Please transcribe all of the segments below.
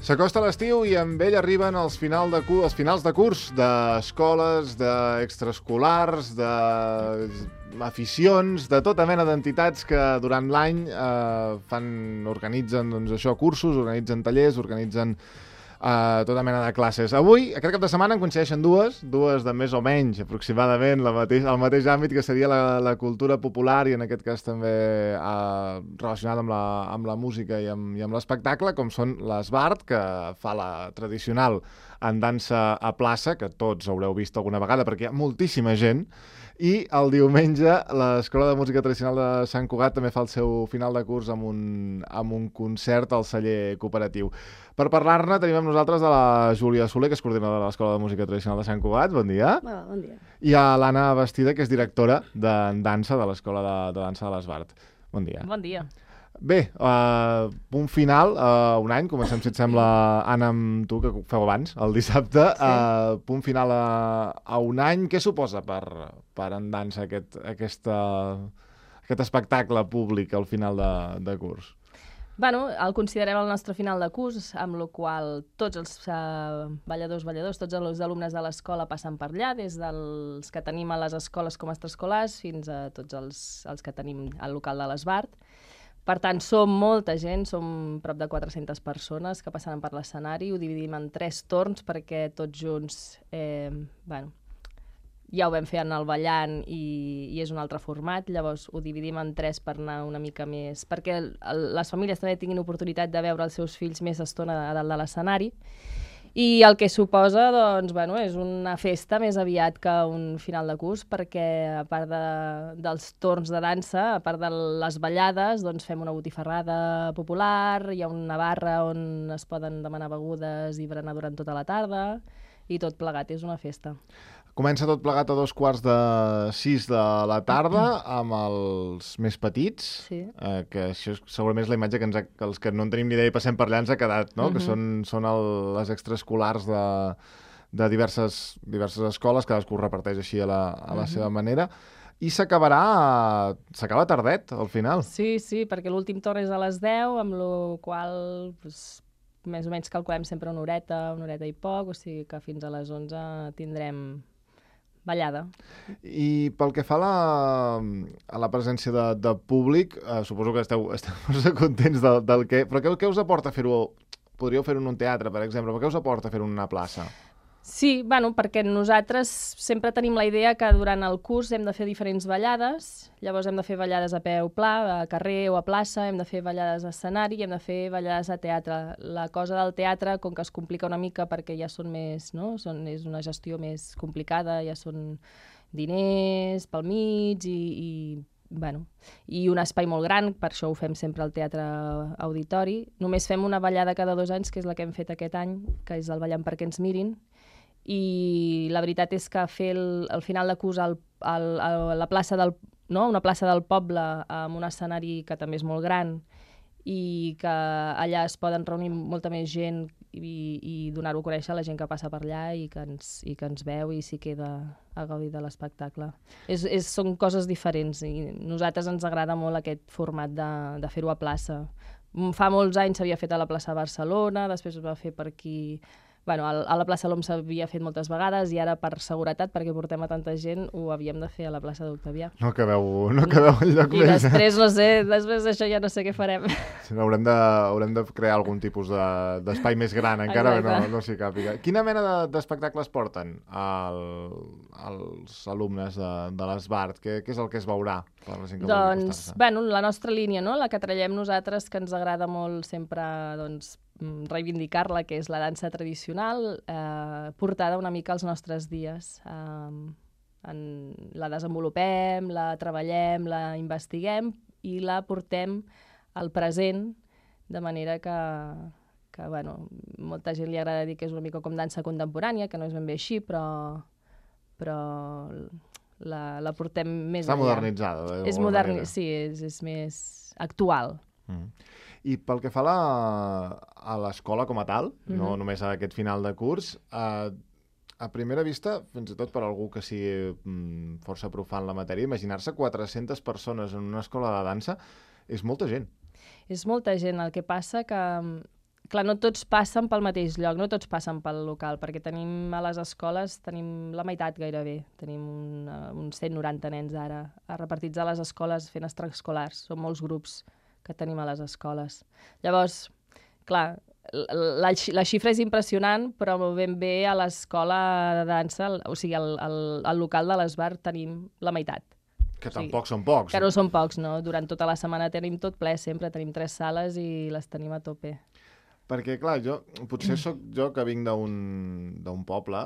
S'acosta l'estiu i amb ell arriben els finals de curs d'escoles, d'extraescolars, d'aficions, de tota mena d'entitats que durant l'any organitzen cursos, organitzen tallers, organitzen tota mena de classes. Avui, aquest cap de setmana, en coincideixen dues de més o menys, aproximadament, el mateix àmbit, que seria la cultura popular i en aquest cas també relacionada amb la música i amb l'espectacle, com són l'Esbart, que fa la tradicional andança a plaça, que tots haureu vist alguna vegada, perquè hi ha moltíssima gent, i el diumenge l'Escola de Música Tradicional de Sant Cugat també fa el seu final de curs amb un concert al celler cooperatiu. Per parlar-ne tenim amb nosaltres a la Júlia Soler, que és coordinadora de l'Escola de Música Tradicional de Sant Cugat. Bon dia. Bon dia. I a l'Anna Bastida, que és directora de dansa de l'Escola de Dansa de l'Esbart. Bon dia. Bon dia. Bé, punt final, un any, comencem, si et sembla, Anna, amb tu, que ho feu abans, el dissabte. Sí. Punt final a un any. Què suposa per en dansa aquest espectacle públic al final de curs? Bueno, el considerem el nostre final de curs, amb la qual tots els balladors, tots els alumnes de l'escola passen per allà, des dels que tenim a les escoles com a extraescolars fins a tots els que tenim al local de l'Esbart. Per tant, som molta gent, som prop de 400 persones que passaran per l'escenari, ho dividim en 3 torns perquè tots junts, ja ho vam fer en el ballant i és un altre format, llavors ho dividim en 3 per anar una mica més, perquè les famílies també tinguin oportunitat de veure els seus fills més estona a dalt de l'escenari. I el que suposa, és una festa més aviat que un final de curs, perquè a part dels torns de dansa, a part de les ballades, fem una botifarrada popular, hi ha una barra on es poden demanar begudes i berenar durant tota la tarda, i tot plegat, és una festa. Comença tot plegat a 5:45 de la tarda, amb els més petits, sí. Que això segurament és la imatge que els que no en tenim ni idea i passem per allà ens ha quedat, no? Que són les extraescolars de diverses escoles, cadascú reparteix així a la seva manera, i s'acaba tardet, al final. Sí, perquè l'últim torn és a les 10, amb la qual més o menys calculem sempre una horeta i poc, o sigui que fins a les 11 tindrem ballada. I pel que fa a la presència de públic, suposo que esteu contents del que... Però què us aporta fer-ho? Podríeu fer-ho en un teatre, per exemple, però què us aporta fer-ho en una plaça? Sí, perquè nosaltres sempre tenim la idea que durant el curs hem de fer diferents ballades, llavors hem de fer ballades a peu pla, a carrer o a plaça, hem de fer ballades a escenari i hem de fer ballades a teatre. La cosa del teatre, com que es complica una mica perquè ja són més, no? És una gestió més complicada, ja són diners pel mig i un espai molt gran, per això ho fem sempre al Teatre Auditori. Només fem una ballada cada 2 anys, que és la que hem fet aquest any, que és el Ballant perquè ens mirin, i la veritat és que fer el final de curs a la plaça una plaça del poble amb un escenari que també és molt gran i que allà es poden reunir molta més gent i donar-ho a conèixer a la gent que passa per allà i que ens veu i s'hi queda a gaudir de l'espectacle. Són coses diferents i a nosaltres ens agrada molt aquest format de fer-ho a plaça. Fa molts anys s'havia fet a la plaça Barcelona, després es va fer per aquí... A la plaça L'Om s'havia fet moltes vegades i ara per seguretat, perquè portem a tanta gent, ho havíem de fer a la plaça d'Octavià. No cabeu enlloc més. I després, no sé, després d'això ja no sé què farem. Sí, haurem de crear algun tipus d'espai més gran, encara que no s'hi càpiga. Quina mena d'espectacles porten els alumnes de l'Esbart? Què és el que es veurà? La nostra línia, la que trallem nosaltres, que ens agrada molt sempre reivindicar-la, que és la dansa tradicional, portada una mica als nostres dies. La desenvolupem, la treballem, la investiguem i la portem al present, de manera que molta gent li agrada dir que és una mica com dansa contemporània, que no és ben bé així, però la portem més allà. Està modernitzada. Sí, és més actual. I pel que fa a l'escola com a tal, no només a aquest final de curs, a primera vista, fins i tot per algú que sigui força profan la matèria, imaginar-se 400 persones en una escola de dansa és molta gent. És molta gent, el que passa que clar, no tots passen pel mateix lloc, no tots passen pel local, perquè tenim a les escoles, tenim la meitat gairebé. Tenim uns 190 nens ara, repartits a les escoles fent extraescolars. Són molts grups que tenim a les escoles. Llavors, clar, la xifra és impressionant, però ben bé a l'escola de dansa, o sigui, al local de l'Esbar tenim la meitat. Que tampoc són pocs. Que no són pocs, no? Durant tota la setmana tenim tot ple, sempre tenim 3 sales i les tenim a tope. Perquè, clar, potser sóc jo que vinc d'un poble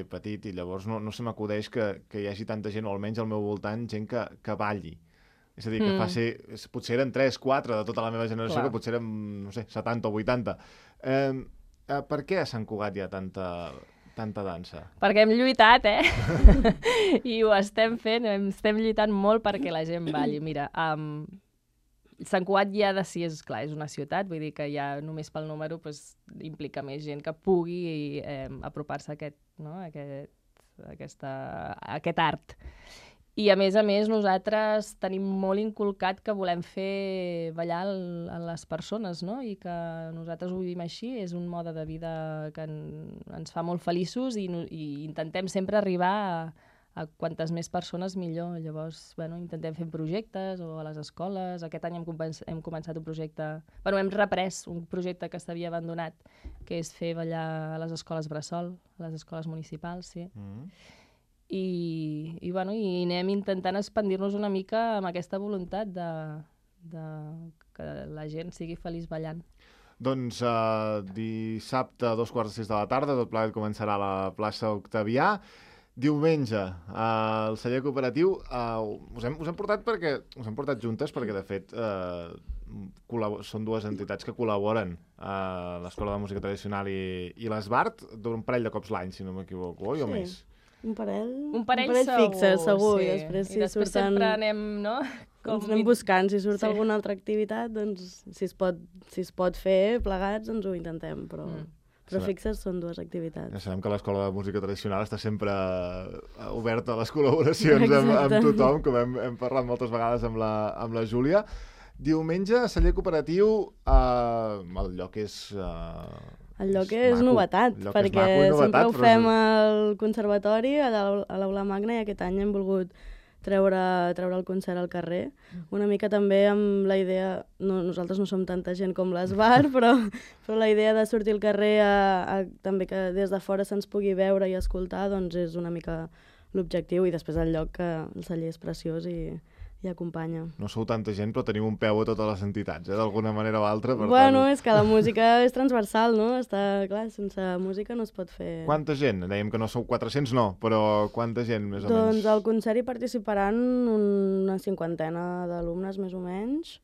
petit i llavors no se m'acudeix que hi hagi tanta gent, o almenys al meu voltant, gent que balli. És a dir, que potser eren 3, 4 de tota la meva generació, clar, que potser eren, no sé, 70 o 80. Per què a Sant Cugat hi ha tanta dansa? Perquè hem lluitat, I ho estem fent, estem lluitant molt perquè la gent balli. Mira, Sant Cugat ja de si és una ciutat, vull dir que ja només pel número implica més gent que pugui apropar-se a aquest art. I a més, nosaltres tenim molt inculcat que volem fer ballar a les persones, no? I que nosaltres ho vivim així, és un mode de vida que ens fa molt feliços i intentem sempre arribar a quantes més persones millor. Llavors, intentem fer projectes o a les escoles. Aquest any hem començat un projecte... hem reprès un projecte que s'havia abandonat, que és fer ballar a les escoles bressol, a les escoles municipals, sí. I anem intentant expandir-nos una mica amb aquesta voluntat de que la gent sigui feliç ballant. Doncs dissabte a 2:45 de la tarda, tot plegat començarà a la plaça Octavià. Diumenge, al celler cooperatiu, us hem portat juntes perquè, de fet, són dues entitats que col·laboren a l'Escola de Música Tradicional i l'Esbart d'un parell de cops l'any, si no m'equivoco, oi o més? Un parell segur, fixe, segur. Sí. I després sempre anem, no? Anem buscant. Si surt alguna altra activitat, doncs, si es pot fer plegats, doncs ho intentem, però fixes són dues activitats. Ja sabem que l'Escola de Música Tradicional està sempre oberta a les col·laboracions amb tothom, com hem parlat moltes vegades amb la Júlia. Diumenge, a celler cooperatiu, el lloc és... El lloc és novetat, perquè sempre ho fem al conservatori, a l'Aula Magna, i aquest any hem volgut treure el concert al carrer. Una mica també amb la idea, nosaltres no som tanta gent com l'Esbar, però la idea de sortir al carrer també que des de fora se'ns pugui veure i escoltar, doncs és una mica l'objectiu, i després el lloc, que el celler és preciós i acompanya. No sou tanta gent, però tenim un peu a totes les entitats, d'alguna manera o altra. És que la música és transversal, no? Clar, sense música no es pot fer... Quanta gent? Dèiem que no sou 400, no, però quanta gent, més o menys? Doncs al concert hi participaran una 50 d'alumnes, més o menys.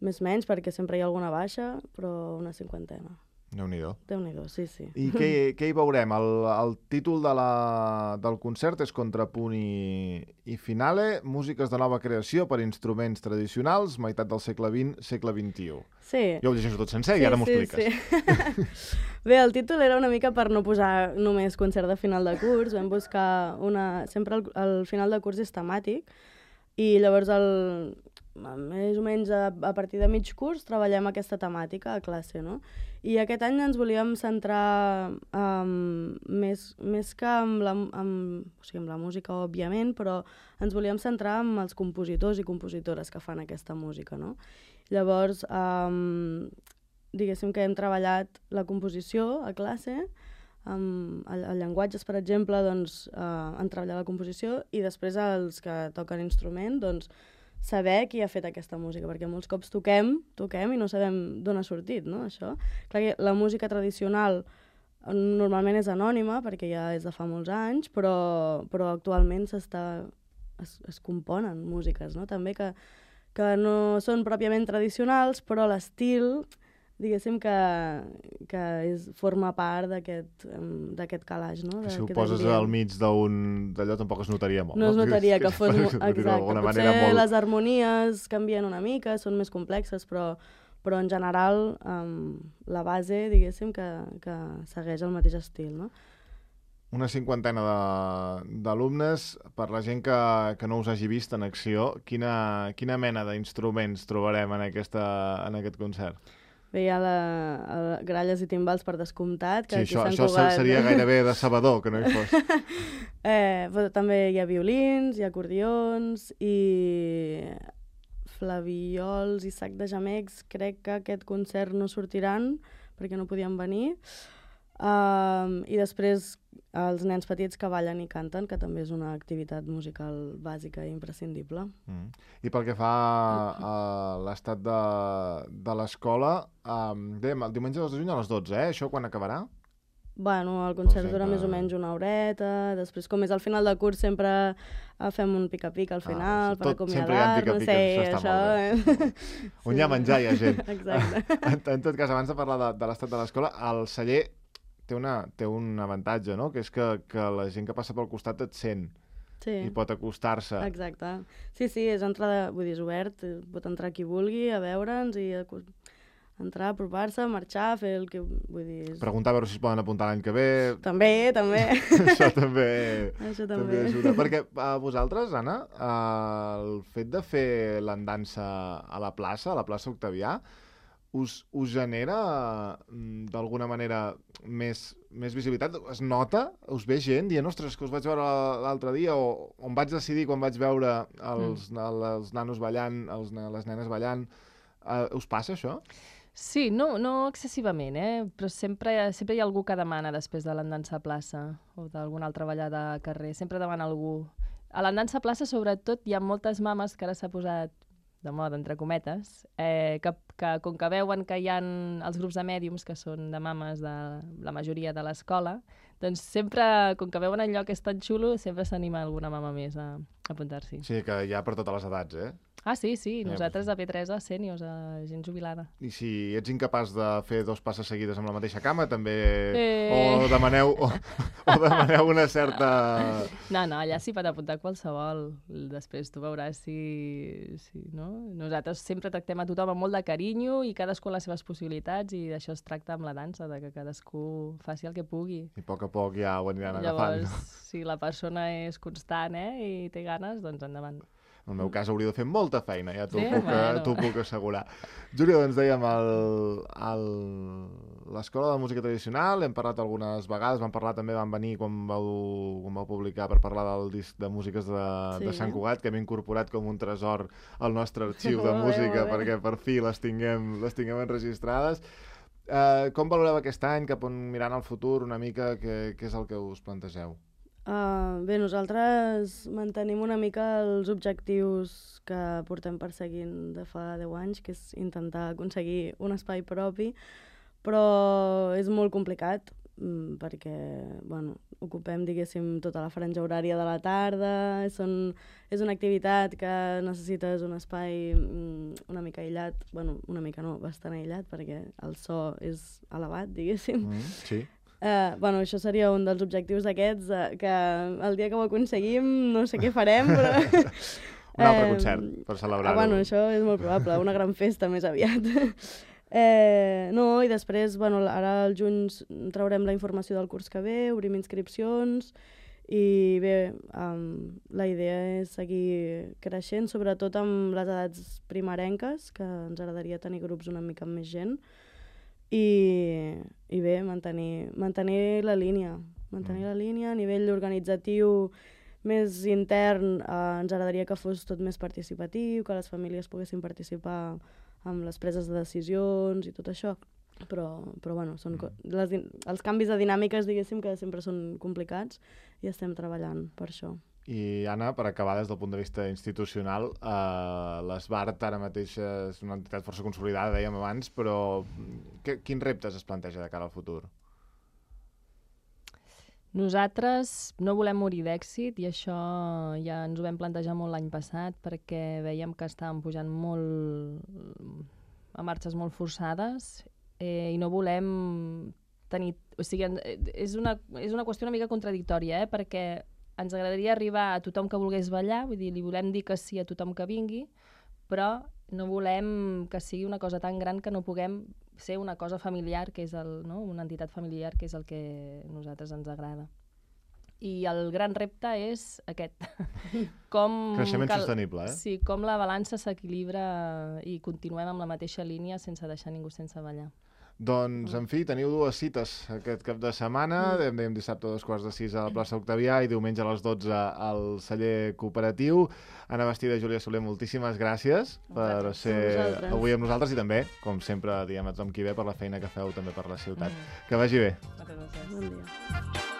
Més menys, perquè sempre hi ha alguna baixa, però una 50. Déu-n'hi-do. Déu-n'hi-do, sí. I què hi veurem? El títol del concert és Contrapunt i Finale, músiques de nova creació per instruments tradicionals, meitat del segle XX, segle XXI. Sí. Jo ho llegeixo tot sencer i ara m'ho expliques. Sí. Bé, el títol era una mica per no posar només concert de final de curs. Vam buscar sempre el final de curs és temàtic, i llavors més o menys a partir de mig curs treballem aquesta temàtica a classe, no? I aquest any ens volíem centrar més que amb la música, òbviament, però ens volíem centrar en els compositors i compositores que fan aquesta música, no? Llavors, diguéssim que hem treballat la composició a classe, a llenguatges, per exemple, doncs, han treballat la composició, i després els que toquen instrument, doncs, saber qui ha fet aquesta música, perquè molts cops toquem i no sabem d'on ha sortit, no, això. Clar que la música tradicional normalment és anònima, perquè ja és de fa molts anys, però actualment es componen músiques, no? També que no són pròpiament tradicionals, però l'estil, diguéssim que forma part d'aquest calaix, no? Si ho poses al mig d'allò tampoc es notaria molt. No es notaria que fos... Exacte. Potser les harmonies canvien una mica, són més complexes, però en general la base, diguéssim, que segueix el mateix estil, no? Una 50 d'alumnes. Per la gent que no us hagi vist en acció, quina mena d'instruments trobarem en aquest concert? veia gralles i timbals per descomptat. Que sí, això seria gairebé de sabador, que no hi fos. Però també hi ha violins, hi ha acordions i flaviols i sac de gemecs. Crec que aquest concert no sortiran perquè no podien venir. I després els nens petits que ballen i canten, que també és una activitat musical bàsica i imprescindible. I pel que fa a l'estat de l'escola, dèiem, el diumenge 2 de juny a les 12, Això quan acabarà? Bueno, el concert dura més o menys una horeta, després com és al final del curs sempre fem un pica-pica al final per acomiadar-nos. Sempre hi ha pica-pica, això està molt bé. On hi ha menjar hi ha gent. Exacte. En tot cas, abans de parlar de l'estat de l'escola, el celler té un avantatge, no? Que és que la gent que passa pel costat et sent i pot acostar-se. Exacte. Sí, és entrada, vull dir, és obert, pot entrar qui vulgui a veure'ns i entrar, apropar-se, marxar, fer el que... Vull dir... Preguntar a veure si es poden apuntar l'any que ve... També. Això també ajuda. Perquè a vosaltres, Anna, el fet de fer l'andança a la plaça Octavià, us genera d'alguna manera més visibilitat? Es nota? Us ve gent dient, ostres, que us vaig veure l'altre dia, o on vaig decidir quan vaig veure els nanos ballant, les nenes ballant. Us passa això? Sí, no excessivament, però sempre hi ha algú que demana després de l'andança a plaça o d'alguna altra ballada a carrer. Sempre demana algú. A l'andança a plaça, sobretot, hi ha moltes mames que ara s'ha posat de moda, entre cometes, que com que veuen que hi ha els grups de mèdiums, que són de mames de la majoria de l'escola, doncs sempre, com que veuen el lloc és tan xulo, sempre s'anima alguna mama més a apuntar-s'hi. Sí, que hi ha per totes les edats, Ah, sí, nosaltres a P3 a sèniors, a gent jubilada. I si ets incapaç de fer 2 passes seguides amb la mateixa cama, també... O demaneu una certa... No, allà s'hi pot apuntar qualsevol. Després tu veuràs si no? Nosaltres sempre tractem a tothom amb molt de carinyo i cadascú amb les seves possibilitats, i d'això es tracta amb la dansa, de que cadascú faci el que pugui. I a poc ja ho aniran agafant. Llavors, si la persona és constant i té ganes, doncs endavant. En el meu cas hauria de fer molta feina, ja t'ho puc assegurar. Júlia, doncs dèiem, l'Escola de Música Tradicional, hem parlat algunes vegades, van venir quan vau publicar per parlar del disc de músiques de Sant Cugat, que hem incorporat com un tresor al nostre arxiu de música, perquè per fi les tinguem enregistrades. Com valoreu aquest any, cap on mirant al futur una mica, què és el que us plantegeu? Bé, nosaltres mantenim una mica els objectius que portem perseguint de fa 10 anys, que és intentar aconseguir un espai propi, però és molt complicat perquè ocupem, diguéssim, tota la franja horària de la tarda, és una activitat que necessites un espai una mica aïllat, una mica no, bastant aïllat, perquè el so és elevat, diguéssim. Sí. Això seria un dels objectius d'aquests, que el dia que ho aconseguim no sé què farem, però... Un altre concert per celebrar-ho. Això és molt probable, una gran festa més aviat. I després, ara al juny traurem la informació del curs que ve, obrim inscripcions, i bé, la idea és seguir creixent, sobretot amb les edats primerenques, que ens agradaria tenir grups una mica amb més gent, i bé, mantenir la línia a nivell organitzatiu més intern. Ens agradaria que fos tot més participatiu, que les famílies poguessin participar amb les preses de decisions i tot això, però són els canvis de dinàmiques, diguéssim, que sempre són complicats, i estem treballant per això. I, Anna, per acabar des del punt de vista institucional, l'Esbart ara mateix és una entitat força consolidada, dèiem abans, però quins reptes es planteja de cara al futur? Nosaltres no volem morir d'èxit, i això ja ens ho vam plantejar molt l'any passat, perquè veiem que estàvem pujant molt a marxes molt forçades, i no volem tenir... O sigui, és una qüestió una mica contradictòria, perquè ens agradaria arribar a tothom que volgués ballar, vull dir, li volem dir que sí a tothom que vingui, però no volem que sigui una cosa tan gran que no puguem ser una cosa familiar, que és una entitat familiar, que és el que a nosaltres ens agrada. i el gran repte és aquest. Com Creixement sostenible, eh? Sí, com la balança s'equilibra i continuem amb la mateixa línia sense deixar ningú sense ballar. Doncs, en fi, teniu 2 cites aquest cap de setmana. Dèiem dissabte a 2:45 a la plaça Octavià i diumenge a les 12 al celler cooperatiu. Anna Bastida i Júlia Soler, moltíssimes gràcies per ser avui amb nosaltres i també, com sempre, diem a tothom qui ve per la feina que feu també per la ciutat. Que vagi bé. Moltes gràcies. Bon dia.